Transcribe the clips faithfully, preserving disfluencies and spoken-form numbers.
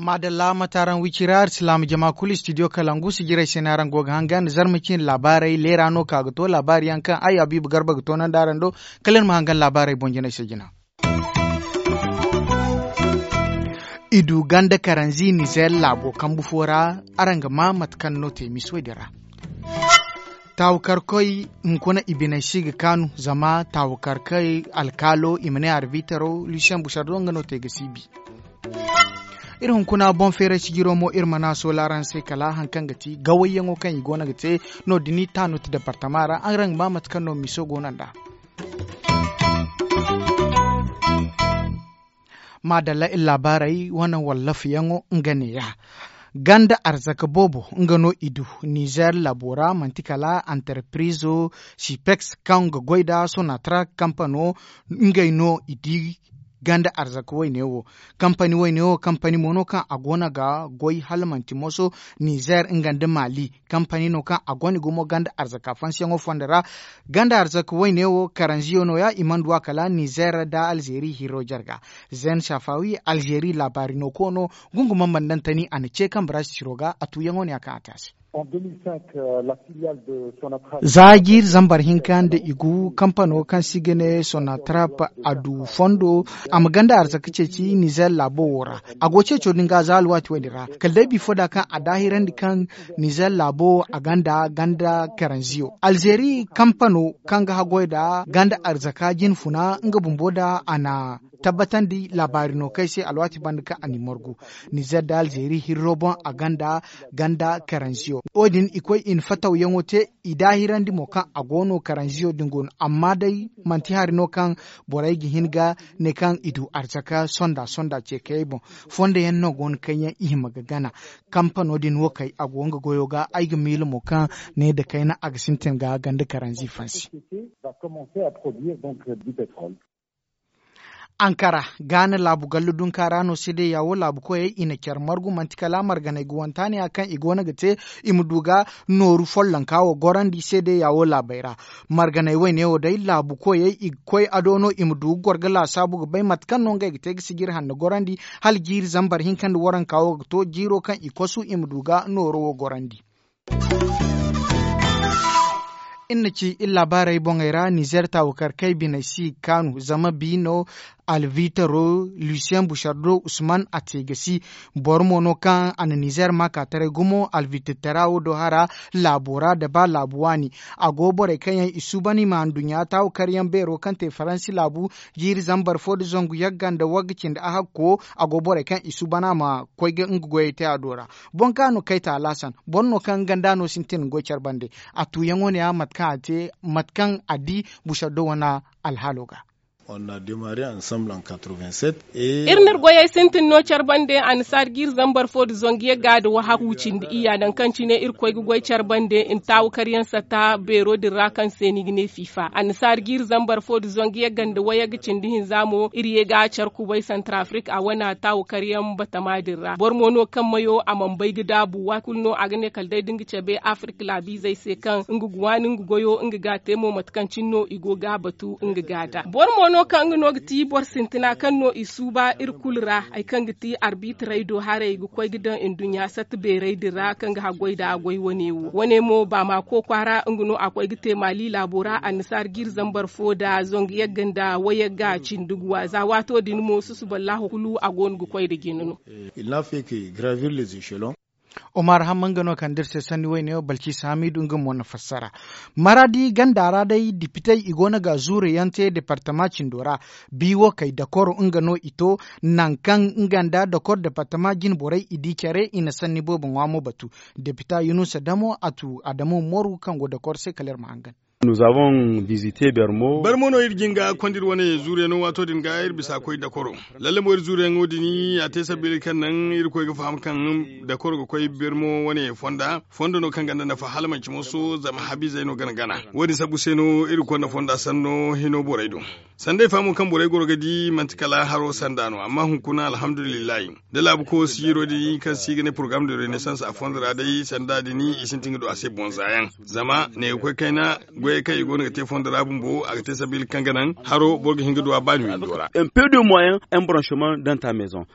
Maadalla mate araŋ wicira arsilaama jama kulu istidiyo kalangu sijirey se no araŋ go ga hangan zarma ciine laabaarey leera no ka ga to laabaari yaŋ kaŋ ay habiibu garba ga toonandi araŋ do. Kala iri ma hangan laabaarey boŋ jinay se jina. I du ganda karanzi nizeer laabo kambu fo ra. Araŋ ga maa mate kaŋ no te miso din ra. Taawukarkoy hunkuna i biney si ga kaanu zama taawukarkoy alkaalo i ma ne arbitaro lusiyen busardo nga no te ga siibi. Iri hunkuna boŋ feeray sijiro mo iri mana sola araŋ se kala hari kaŋ ga ti gawayyaŋo kaŋ i go no ga te. No- din taanut departama ra araŋ ga maa mate kaŋ no miso go no nd'a. Maadalla iri laabaarey wane wallafayaŋo nga neeya. Ganda arzaka boobo nga no i du nizeer laabo ra manti kala antarpirizo sipeks kaŋ ga goy nda sonatra kampano. Ngey no i di ganda arzaka wayne wo. Kampani wayne wo kampani mo no kaŋ a go no ga goy hala manti moso nizeer nga nda maali. Kampani no kaŋ a gonda gumo ganda arzaka fansiyaŋo fondo ra. Ganda arzaka wayne wo karanziyo no- ya i mana du a kala nizeer nda alzeeri hiro jarga. Zen safawi alzeeri laabaari no ko no. Gunguma mandantani a na ce kaŋ baraasi ciro ga a tuuyaŋo no- ya kaŋ a te a se. Za jiiri zambar hinka nda i gu kampano kaŋ se i ga ne sonatrap a du fondo. A ma ganda arzaka ceeci nizeer laabo wo ra. A go ceeco din ga za alwaati wo- din ra kala day bifo da kaŋ a daahirandi kaŋ nizeer laabo a gonda ganda karanziyo alzeeri kampano kaŋ ga haggoy nda ganda arzaka jinfuna nga bumbo nda a na tabbatandi laabaari no kaŋ ay se alwaati banda kaŋ a n'i margu. Nizeer nda alzeeri hirro boŋ a gonda ganda karanziyo wo- din i koy i na fatawyaŋo te. I daahirandi mo kaŋ a go no karanziyo din go no amma day manti hari no kaŋ borey ga hin ga ne kaŋ i du arzaka sonda sonda ce kayey boŋ. Fondo yaŋ no go no kaŋ yaŋ i hima ga gana. Kampano din wo kay a go nga goyo ga ay ga miila mo kaŋ ne nda kayna a ga sintin ga ganda karanzi fansi. Ankara gaana laabu gallu dunka ra no seedeya wo laabu koyey i na care margu manti kala marganay ga wanta ne ya kaŋ i go no ga te. I ma du ga nooru follonka wo gorandi seedeya wo laabey ra. Marganay wayne wo day laabu koyey i ga koy ado no i ma du ga goro ga laasaabu ga bay mate kaŋ no ngey ga te ga sijiri hanno gorandi hala jiiri zambar hinka nda waranka wo ga to jiiro kaŋ i kosu i ma du ga nooro wo gorandi. Iri na ci iri laabaarey boŋey ra nizeer taawukarkey biney si ga kaanu zama bi no alvitaro lusiyen busardo usman a te ga si. Boro mo no kaŋ a na nizeer maakaataray gumo alvititara wo do hara laabo ra nda ba laabu waani. A go borey kaŋ yaŋ i suuban i ma handuɲɲa taawukaryaŋ beero kaŋ te faransi laabu jiiri zambar fo nda zangu yagga nda wagga cindi ahakko. A go borey kaŋ i suuban a ma koy ga nga goyey te a do ra. Boŋ kaŋ a no kayta alaasan boro no kaŋ nga nda no sintin ga goy care bande. A tuuyaŋo ne ya mate kaŋ a te mate kaŋ a di busaddo wane alhaalo ga. Iri n'iri goyey sintin no care bande annasaari ga iri zambar fo nda zangu yagga nda wahakku cindi iyya nangu kaŋ cine iri koy ga goy care bande nda taawu karyaŋ satta beero din ra kaŋ se ni ga ne fiifa annasaari ga iri zambar fo nda zangu yagga nda wayagga cindi hinza mo iri ye ga care kubay santarafrik a wane taawu karyaŋ batama din ra boro mo no kaŋ mayo a mana bay ga daabu waati kulu no a ga ne kala day da nga cabe afirka laabiizey se kaŋ nga ga waani nga goyo nga ga a te mo mate kaŋ cine no i go ga a batu nga ga a da boro mo no kaŋ nga no ga ti boro sintina kaŋ no i suuba iri kulu ra hari kaŋ ga ti arbiitirey do haray ga koy ga daŋ nduɲɲa satta beerey din ra kaŋ ga haggoy nda a goy wane wo wane mo baamako kwaara nga no a koy ga te maali laabo ra annasaari ga iri zambar fo nda zangu yagga nda wayagga cindi guwa za waato din mo susuballahu kulu a go no ga koy nda jina no. Omar hamma nga no kaŋ da iri se sanni wayne wo balciisa hamiidu nga mo na fassara. Maraadi ganda ra day dipitey i go no ga zuuru yaŋ te departama cindo ra. Bi wo kay dakoro nga no i to nangu kaŋ nga nda dakoro departama jine borey i di care i na sanni boobo ŋwa mo batu. Depita yunusa damo a tu adamo moru kaŋ go dakoro se kala iri ma hangan. Nous avons visité bermo. Bermo no iri jin ga konda iri wane zuuriyaŋo waato din ga iri bisa koy dakoro. Lalle mo iri zuuriyaŋo din a te sabili kaŋ naŋ iri koy ga faham kaŋ dakoro ga koy bermo wane fonda fondo no kaŋ ganda nafa hala manci mooso zama habizey no gana gana. Wo- din sabbu se no iri konda fonda sanno hino borey do. Sanday faamo kaŋ borey goro ga di manti kala haro sanda no amma hunkuna alhamdulillahi. Da laabu ko siiro din kaŋ se i ga ne porogaram de renaissance a fondo ra day sanda din i sintin ga du a se bonza yaŋ. Zama ne ga koy kayna goyey kaŋ i go no ga te fondo ra bumbo a ga te sabili kaŋ ga naŋ haro boro ga hin ga du a baani windo ra. Un peu de moyen un branchement dans ta maison.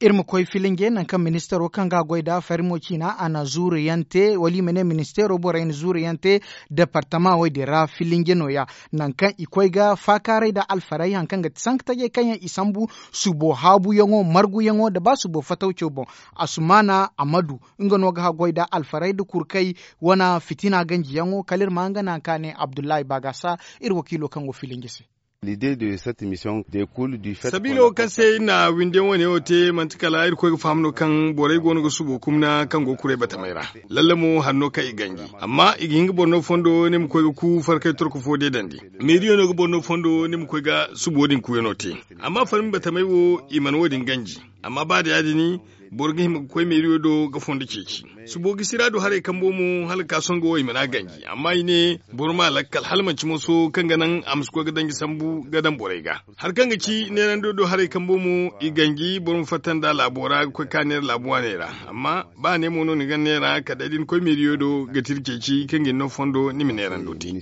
Iri ma koy filinje nangu kaŋ ministaro kaŋ ga a goy nd'a farimo ciina a na zuuru yaŋ te wala i ma ne ministaro borey na zuuru yaŋ te. Departama wo- din ra filinje no- ya nangu kaŋ i koy ga faakaaray nda alfarey hari kaŋ ga ti sanka tajey kaŋ yaŋ i sambu subo haabuyaŋo marguyaŋo nda ba subo fatawco boŋ. Asumaana amadu nga no ga haggoy nda alfarey nda kurkey wane fitina ganjiyaŋo kala iri ma nga nangu kaŋ a ne abdullahi baagasa iri wakiilo kaŋ go filinje se. Sabiilo kaŋ se iri na windiyaŋ wane wo te manti kala iri koy ga faham no kaŋ borey go no ga subo kumna kaŋ go ga kuray batamey ra. Lalle mo hari no kaŋ i ganji amma i ga hin ga boro no fondo ni ma koy ga ku farkay torko fo deedandi. Meeriyo no ga boro no fondo ni ma koy ga subo din kuuyano te. Amma farmi batamey wo i mana wo- din ganji. Amma ba da ya- din boro ga hima ga koy meeriyo do ga fondo ceeci. Subo gisi ra du haray kambo mo hala ga ka sohõ ga wo i mana ganji amma i ne boro ma lakkal hala manci mooso kaŋ ga naŋ a ma si koy ga danji sambu ga daŋ borey ga. Hari kaŋ ga ci neerando do haray kambo mo i ganji boro ma fatta nda laabo ra ga koy ka neera laabu waaney ra. Amma ba ne mo no ni ga neera kala day da ni koy meeriyo do ga tira ceeci kaŋ ga ni no fondo ni ma neerando te.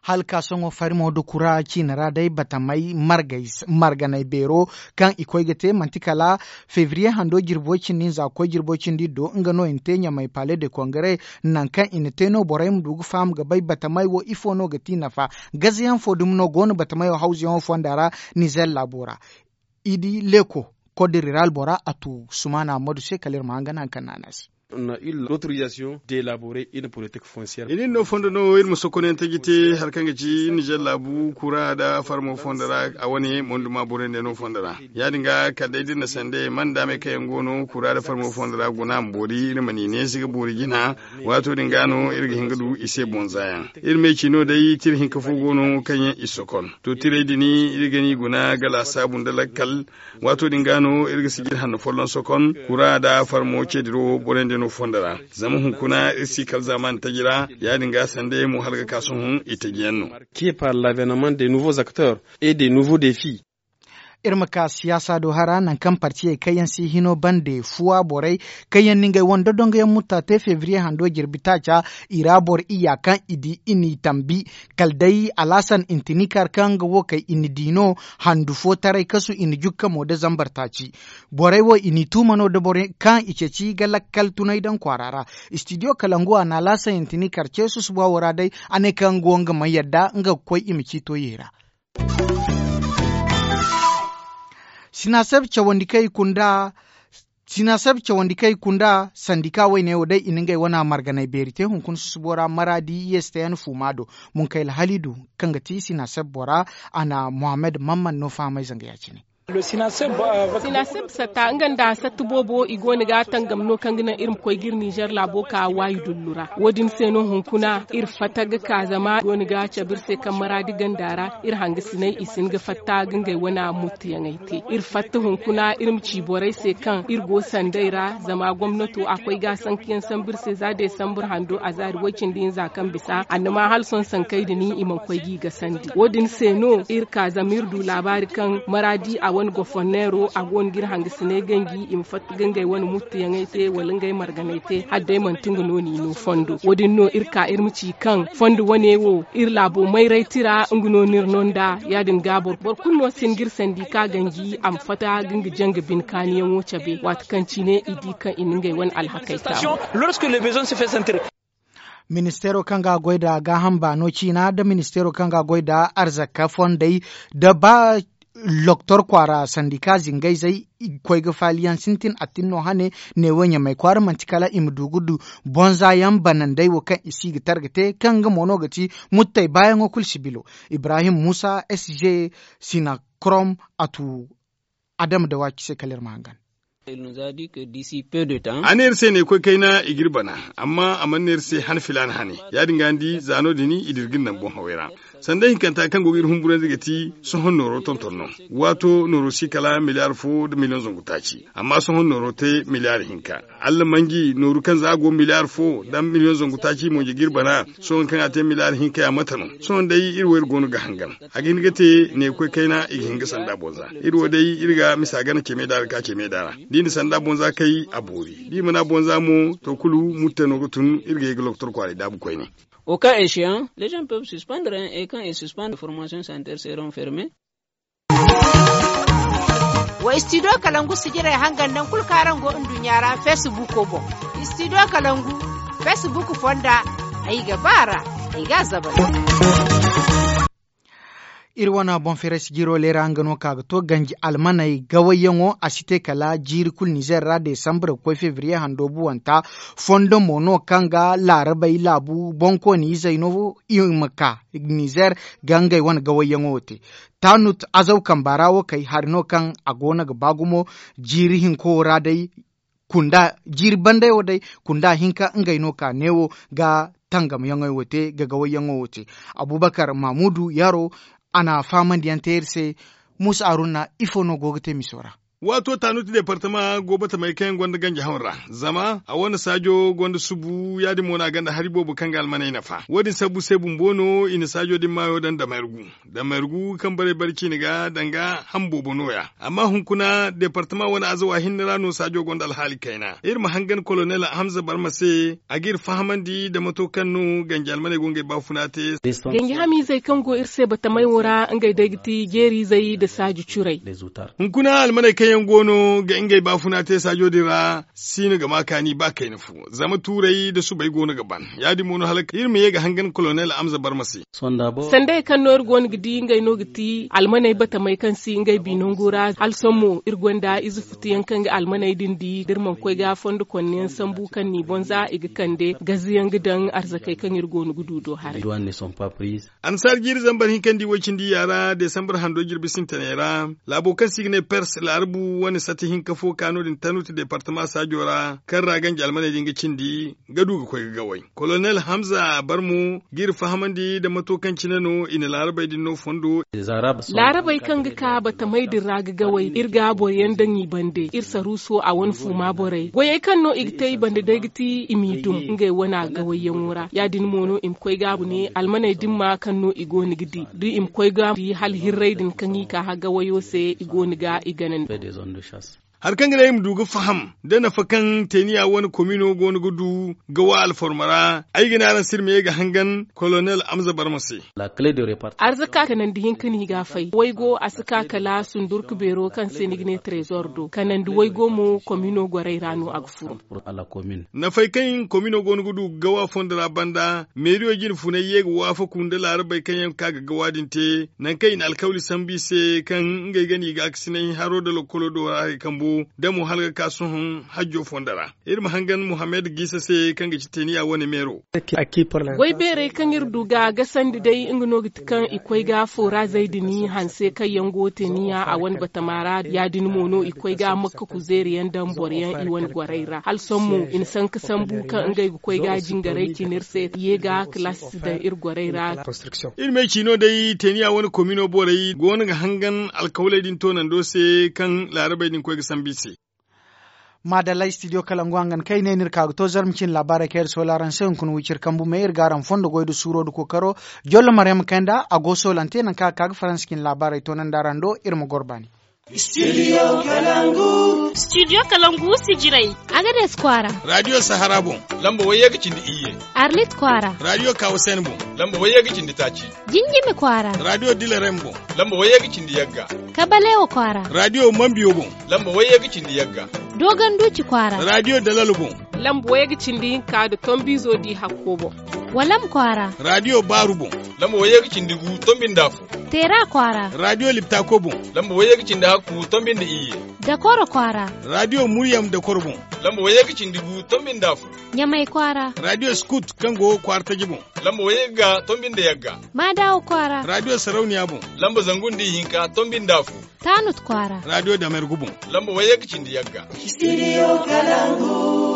Hala ka sohõ farimo nda kura ciine ra day batamey marganey beero kaŋ i koy ga te manti kala febriye hando jirbi way cindi hinza ga koy jirbi way cindi iri do nga no i na te ɲamey pale de kongare. Nangu kaŋ i na te no borey ma du ga faham ga bay batamey wo ifo no ga ti nafa? Gazayaŋ fo dumi no go no batamey wo hawzuyaŋo fonda ra. Nizer laabo ra i di leeko kod riral bora a tu sumaana ammadu se kala iri ma hangan hari kaŋ no a ne a se. Iri no fondo no iri ma sokonayaŋ taji te hari kaŋ ga ci nizer laabu kura nda farmo fondo ra a wane monduma borey nda no fondo ra. Ya- din ga kala day da iri na sanda ye manda me kaŋ yaŋ go no kura nda farmo fondo ra guna ma boori iri ma ni neesi ga boori jina. Waato din ga no iri ga hin ga du i se bonza yaŋ. Iri me ci no day tira hinka fo go no kaŋ yaŋ i sokon to tiray din iri ga ni guna ga laasaabu nda lakkal. Waato din ga no iri ga sijir hanno folloŋ sokon kura nda farmo ceediro borey nda no fondo ra. Zama hunkuna iri si kala zaamaani taji ra. Ya- din ga sanda ye mo hala ga ka sohõ i taji yaŋ no. Ke par lavenement de nouveaux acteurs et de nouveaux défis. Iri ma ka siyaasa do hara nangu kaŋ partiyey kaŋ yaŋ si hino bande fuwa borey kaŋ yaŋ na ngey wane dodongoyaŋ mutta te febriye hando jirbi taaca. I ra boro iyya kaŋ i di i n'i tambi kala day alhasan intinikar kaŋ nga wo kay i na di no. Handu fo taray kasu i na jukka mo nda zambar taaci. Borey wo i n'i tuuma no nda borey kaŋ i ceeci ga lakkal tunay daŋ kwaara ra. Istidiyo kalangu a na alhasan intinikar ce susuba wo ra day a ne kaŋ nga wo nga mana yadda nga ga koy i ma ciito ye ra. Sinaseb cawandi kaŋ i kunda sinaseb cawandi kaŋ i kunda sandika wayne wo day i na ngey wana marganay beeri te hunkuna susubo ra maraadi yesteyan fuuma do. Munkayla halidu kaŋ ga ti sinaseb bora a na mohammed mamman no fahamay zanga ya- cine. Sinaseb satta nga nda satta boobo i go no ga tangam no kaŋ ga naŋ iri ma koy ga iri nizer laabo ka waayi dullu ra. Wo- din se no hunkuna iri fatta ga ka zama i go no ga cabe iri se kaŋ maraadi ganda ra. Iri hangasinay i si hin ga fatta ga ngey wane muttuyaŋey te iri fatta hunkuna iri ma ci borey se kaŋ iri go sanday ra zama gomnato a koy ga a sankayaŋ sambu iri se za desambur hando a zaari way- cindi hinza kaŋ bisa annama hala sohõ sankey din i mana koy ga i gasandi wo- din se no iri ka zama iri du laabaari kaŋ maraadi a wane goforneero a go no ga iri hangasinay ganji i ma fatta ga ngey wane muttuyaŋey te wala ngey marganey te hala day manti nga no n'i no fondo wo- din no iri ka iri ma ci kaŋ fondo wane wo iri laabo mayray tira nga no no iri no nda ya- din ga boro kulu no si hin ga iri sandi ka ganji a ma fatta ga nga janga bine kaaniyaŋo cabe waati kaŋ cine i di kaŋ i na ngey wane alhakey taamu. Ministeero kaŋ ga a goy nda gaaham baano ciina nda ministeero kaŋ ga a goy nda arzaka fondey nda ba loktor kwaara sandika zingayzey i ga koy ga faaliyaŋ sintin attin no hane. Neewo ɲamay kwaara manti kala i ma du ga du bonza yaŋ banandey wo kaŋ i si ga targa te kaŋ nga mo no ga ti muttey baayaŋo kulu sibilo. Ibrahim musa sg sinakrom a tu adama da waaci se kala iri ma hangan. A ne iri se ne koy kayna i ga iri bana, amma a mana ne iri se han filaana hane. Ya- din ga ni di za no- din i da iri ga iri naŋ boŋ hawey ra. Sanda hinkanta kaŋ go ga iri humburandi ga ti sohõ nooro tonton no. Waato nooro si kala miliyaar fo nda miliyoŋ zangu taaci, amma sohõ nooro te miliyaar hinka. Allamanji nooru kaŋ za a go miliyaar fo nda miliyoŋ zangu taaci mo nja ga iri bana. Sohõ kaŋ a te miliyaar hinka ya mate no? Sohõ day iri wo iri go no ga hangan. A ga hin ga te ne koy kayna i ga hin ga sanda boŋ za. Iri wo day iri ga misa gana ceme daara ka ceme daara. Da i na sanda boŋ za kay a boori, da i mana boŋ za mo, to kulu mutte no ga tun. Iri ga ye ga lokotor kwaaray daabu koyne. Au cas échéant, les gens peuvent suspendre, hein, et quand ils suspendent, les formations sanitaires seront fermées. Wa studio kalangu sijirey hangan naŋ kulu kaŋ araŋ go nduɲɲa ra facebook boŋ. Studio kalangu, facebook fonda. Ay ga ba ra, ay ga a zabal. Iri wane boŋ feeray sijiro leera nga no ka ga to ganji almaney gawayyaŋo a si te kala jiiri kulu nizer ra desambre ga koy febriye hando buwanta. Fondo mo no kaŋ ga laarabey laabu boŋkooni izey no i ma ka nizer ga ngey wane gawayyaŋo te. Tanut azaw kamba ra wo kay hari no kaŋ a go no ga ba gumo. Jiiri hinko wo ra day kunda jiiri banday wo day kunda hinka ngey no ka neewo ga tangamyaŋey wo te ga gawayyaŋo wo te. Abubakar mamudu yaro a na faamandiyaŋ te iri se. Musa aruna ifo no go ga te miso ra? Waato tanuti departama go batamey kaŋ yaŋ gonda ganji haŋ ra, zama a wane saajo gonda subu ya- din mo no a gonda hari boobo kaŋ ga almaney nafa wo- din sabbu se bumbo no i na saajo din maayo daŋ damayargu. Damayargu kaŋ barey bare ciine ga danga ham boobo nooya. Amma hunkuna departama wane azawa hinne ra no saajo gonda alhaali kayna iri ma hangan kolonel hamza barma se a ga iri fahamandi da mato kaŋ no ganji almaney go ngey baafuna te. Ganji hamiizey kaŋ go iri se batamey wo ra ngey day ga ti jeeriizey nda saaji curey. Hunkuna almaney kaŋ yaŋ go no ga ngey baafuna te saajo din ra si no ga ma kaani ba kayna fo. Zama tuuray nda subay go no ga ban ya- din mo no hala iri ma ye ga hangan kolonel amza barma se. Sandey kaŋ no iri go no ga di ngey no ga ti almaney batamey kaŋ si ngey bi nangu ra hala sohõ mo iri gonda ize futuyaŋ kaŋ ga almaney din di da iri mana koy ga fondo konne yaŋ sambu kaŋ ni boŋ za i ga kande gaziyaŋ ga daŋ arzakey kaŋ iri go no ga du do haray. Annasaara jiiri zambar hinka nda i way cindi ya ra desambar hando jirbi sintinay ra. Laabo kaŋ se i ga ne pers laarabu wane sati hinka fo ka no- din tanuti departama saajo ra kaŋ ra ganji almaney din ga cindi ga du ga koy ga gaway. Kolonel hamza barmo ga iri fahamandi nda mato kaŋ cine no i na laarabey din no fondo. Laarabey kaŋ ga ka batamey din ra ga gaway iri ga boro yaŋ daŋ i bande iri saruuso a wane fuuma borey goyey kaŋ no i ga te i bande day ga ti i m'i dum ngey wane a gawayyaŋo ra ya- din mo no i ma koy gaabu ne almaney dimma kaŋ no i go no ga di da i ma koy gaabu di hala hirrey din kaŋ i ka hagga wayo se i go no ga i ganandi. Hari kaŋ ga naŋ i ma du ga faham da nafa kaŋ teeniya wane komino go no ga du ga wa alforma ra. Ay ga ne araŋ se iri ma ye ga hangan kolonel amza barma se. Arzaka kanandi hinka no i ga a fay waygo a si ka kala sundurka beero kaŋ se ni ga ne trezor do kanandi waygo mo komino gorey ra no a ga furo. Nafay kaŋ komino go no ga du ga wa fondo ra banda meeriyo jine funay ye ga waafaku nda laarabey kaŋ yaŋ ga ka ga gawa din te nangu kaŋ i na alkawli sambu i se kaŋ ngey ga no i gaakasinay haro nda lokkolo do ra hari kambo da mo hala ga ka sohõ hajjo fondo ra. Iri ma hangan muhammad giisa se kaŋ ga ci teeniya wane meero. Goy beerey kaŋ iri du ga gasandi day nga no ga ti kaŋ i koy ga fooraazey din hanse kaŋ yaŋ go teeniya a wane batama ra ya- din mo no i koy ga makka kuzeeri yaŋ daŋ boro yaŋ i wane gorey ra hala sohõ mo i na sanka sambu kaŋ ngey ga koy ga jingarey cine iri se ye ga kalaasi daŋ iri gorey ra. Iri me ciino day teeniya wane komino borey go no ga hangan alkawley din toonando se kaŋ laarabey din koy ga sambu i se. Maadalla studio kalangu hangan kaŋ ay ne no iri ka ga to zarma cine laabaarey kaŋ iri soola araŋ se hunkuna wiciri kambu me iri ga araŋ fondo goy nda suuro nda kookaro. Jollo maryama kayanda a go soolante nangu kaŋ a ga ka ga faransa cine laabaarey toonandi araŋ do iri ma goro baani. Studio kalangu. Studio kalangu sijirey. Agades kwaara. Radio sahara boŋ. Lamba wayye ga cindi iyye. Arlit kwaara. Radio kawasen boŋ. Lamba wayye ga cindi taaci. Jinjimi kwaara. Radio dilerem boŋ. Lamba wayye ga cindi yagga. Kabalewa kwaara. Radio mambiyo boŋ. Lamba wayye ga cindi yagga. Dogon duci kwaara. Radio dalalo boŋ. Lamba wayye ga cindi hinka nda tombizo di hakko boŋ. Walam kwaara. Raadiyo Baaru boŋ. Lamba wayye ga cindi gu, tombi nda afo. Teera kwaara. Raadiyo Liptako boŋ. Lamba wayye ga cindi hakku, tombi nda iyye. Dakoro kwaara. Raadiyo Muryam Dakoro boŋ. Lamba wayye ga cindi gu, tombi nda afo. Ɲamay kwaara. Raadiyo Scout, kaŋ go kwaara taji boŋ. Lamba wayye ga, tombi nda yagga. Maadawa kwaara. Raadiyo Sarauniya boŋ. Lamba zangu nda ihinka, tombi nda afo. Taanut kwaara. Raadiyo Damergu boŋ. Lamba wayye ga cindi yagga. Studio Kalangu.